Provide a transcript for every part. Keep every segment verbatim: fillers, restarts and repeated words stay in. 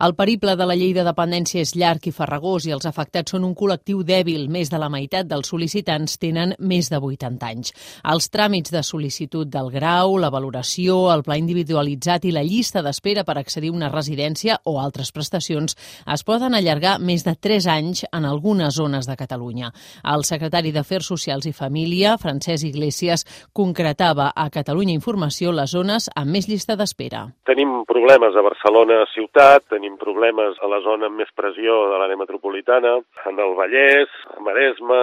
El periple de la llei de dependència és llarg i farragós i els afectats són un col·lectiu dèbil. Més de la meitat dels sol·licitants tenen més de vuitanta anys. Els tràmits de sol·licitud del grau, la valoració, el pla individualitzat i la llista d'espera per accedir a una residència o altres prestacions es poden allargar més de tres anys en algunes zones de Catalunya. El secretari d'Afers Socials i Família, Francesc Iglesias, concretava a Catalunya Informació les zones amb més llista d'espera. Tenim problemes a Barcelona ciutat, tenim problemes a la zona amb més pressió de l'àrea metropolitana, en el Vallès, a Maresme,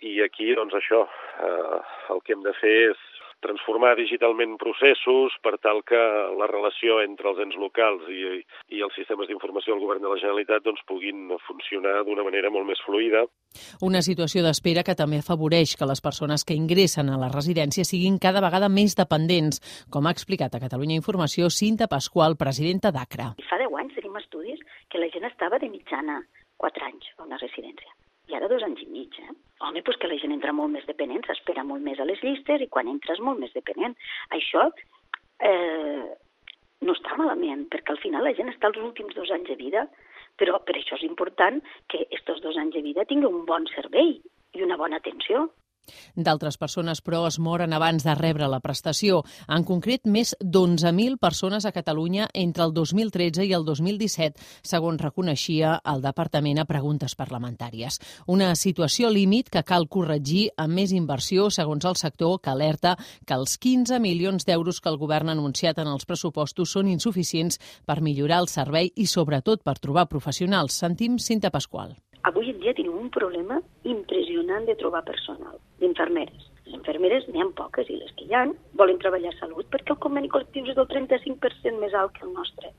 i aquí, doncs això, eh, el que hem de fer és transformar digitalment processos per tal que la relació entre els ens locals i, i els sistemes d'informació del Govern de la Generalitat doncs, puguin funcionar d'una manera molt més fluida. Una situació d'espera que també afavoreix que les persones que ingressen a la residència siguin cada vegada més dependents, com ha explicat a Catalunya Informació Cinta Pasqual, presidenta d'Acra. Fa deu anys tenim estudis que la gent estava de mitjana quatre anys a una residència. I ara dos anys i mig, eh? Home, doncs que la gent entra molt més dependent, s'espera molt més a les llistes i quan entres molt més dependent. Això eh, no està malament, perquè al final la gent està els últims dos anys de vida, però per això és important que aquests dos anys de vida tinguin un bon servei i una bona atenció. D'altres persones, però, es moren abans de rebre la prestació. En concret, més d'onze mil persones a Catalunya entre el dos mil tretze i el dos mil disset, segons reconeixia el Departament a preguntes parlamentàries. Una situació límit que cal corregir amb més inversió, segons el sector, que alerta que els quinze milions d'euros que el govern ha anunciat en els pressupostos són insuficients per millorar el servei i, sobretot, per trobar professionals. Sentim Cinta Pasqual. Avui en dia tenim un problema impressionant de trobar personal, d'infermeres. Les infermeres n'hi ha poques i les que hi ha volen treballar a salut perquè el conveni col·lectiu és del trenta-cinc per cent més alt que el nostre.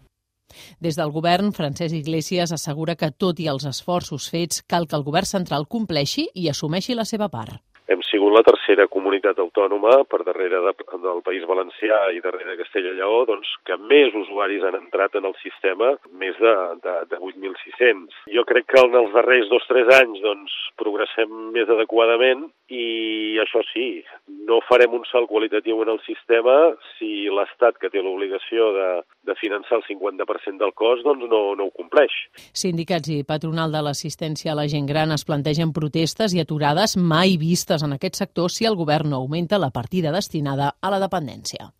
Des del govern, Francesc Iglesias assegura que, tot i els esforços fets, cal que el govern central compleixi i assumeixi la seva part. Hem sigut la tercera comunitat autònoma per darrere de, del País Valencià i darrere de Castella i Lleó, doncs, que més usuaris han entrat en el sistema, més de, de, de vuit mil sis-cents. Jo crec que en els darrers dos o tres anys doncs, progressem més adequadament i això sí, no farem un salt qualitatiu en el sistema si l'Estat, que té l'obligació de, de finançar el cinquanta per cent del cost, doncs no, no ho compleix. Sindicats i patronal de l'assistència a la gent gran es plantegen protestes i aturades mai vistes en aquest sector si el govern no augmenta la partida destinada a la dependència.